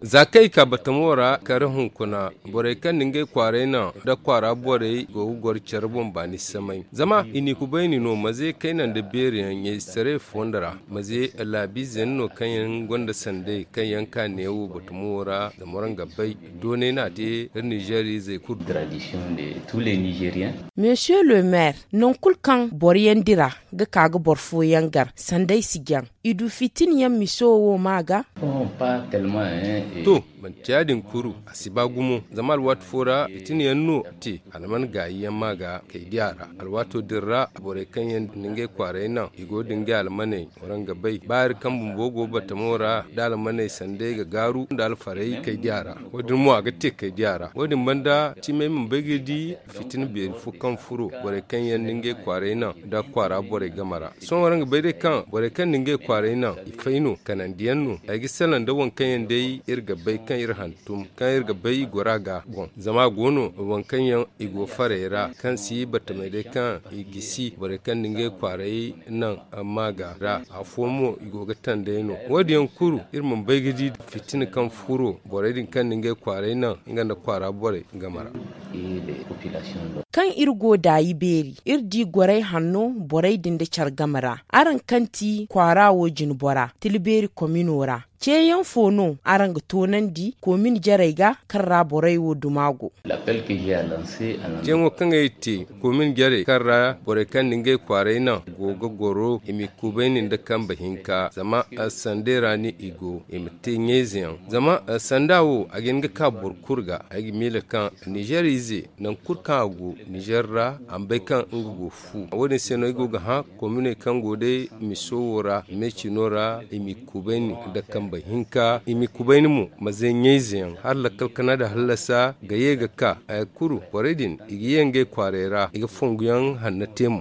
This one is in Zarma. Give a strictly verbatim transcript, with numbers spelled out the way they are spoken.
Za kaŋ i ka batamo ra kare hunkuna, borey kaŋ na ngey kwaaray naŋ nda kwaara borey go ga goro care boŋ baani samay. Zama i n'i kubayni no maze kayna nda beeri yaŋ ɲayzetaray fonda ra. Maze laabiize yaŋ no kaŋ yaŋ gonda sanday kaŋ yaŋ ka neewo batamo ra zama waraŋ ga bay. Doonay no a te iri nizeer izey kulu. Monsieur le maire, nangu kulu kaŋ boro yaŋ dira ga ka ga boro fooyaŋ gar sanday si jaŋ. I du fitina yaŋ miso wo ma ga. To, manti ya- din kuru, a si ba gumo zama alwaati fo ra fitina yaŋ no te. A na mana gaayi yaŋ ma ga kay di a ra. Alwaato din ra borey kaŋ yaŋ na ngey kwaaray naŋ i go da ngey almaney, waraŋ ga bay ba iri kaŋ bumbo go batamo ra nda almaney sanday ga gaaru nda alfarey kay di a ra. Wo- din mo a ga te kay di a ra wo- din banda cimey ma bay ga di fitina beeri fo kaŋ furo borey kaŋ yaŋ na ngey kwaaray naŋ nda kwaara borey game ra. Sohõ waraŋ ga bay day kaŋ borey kaŋ na ngey kwaaray naŋ i fay no kanandiyaŋ no. Ay ga salaŋ nda waŋ kaŋ yaŋ day iri ga bay kaŋ iri hantum kaŋ iri ga bay i goro a ga boŋ zama a go no waŋ kaŋ yaŋ i go faray ra kaŋ si battamey day kaŋ i gisi borey kaŋ na ngey kwaaray naŋ maaga ra. Afo mo i go ga tanday no. Wo- din yaŋ kulu iri mana bay ga di fitina kaŋ furo borey din kaŋ na ngey kwaaray naŋ nga nda kwaara borey game ra. Kaŋ iri go daayi beeri iri di goray hanno borey din nda care game ra. Araŋ kaŋ ti kwaara wo jinbora tilbeeri komino ra, ceeyaŋ fo no araŋ ga toonandi komin jarey ga kaŋ ra borey wo duma go? Ceeyaŋo kaŋ ay te komin jarey kaŋ ra borey kaŋ na ngey kwaaray naŋ go ga goro i ma i kubayni nda kambe hinka zama sanday ra no i go i ma te ɲayze yaŋ. Zama sanda wo a ga hin ga ka boro kulu ga. Ay ga miila kaŋ nizeer ize nangu kulu kaŋ a go nizeer ra a ma bay kaŋ nga go fu. Wo- din se no ay go ga hã kominey kaŋ go day miso wo ra meecino ra i ma i kubayni nda kambe hinka i ma i kubayni mo maze ɲayze yaŋ hala lakkal kana nda hallasa ga ye ga ka. Haya kulu borey din i ga ye ngey kwaaray ra i ga fonguyaŋ hanno te mo.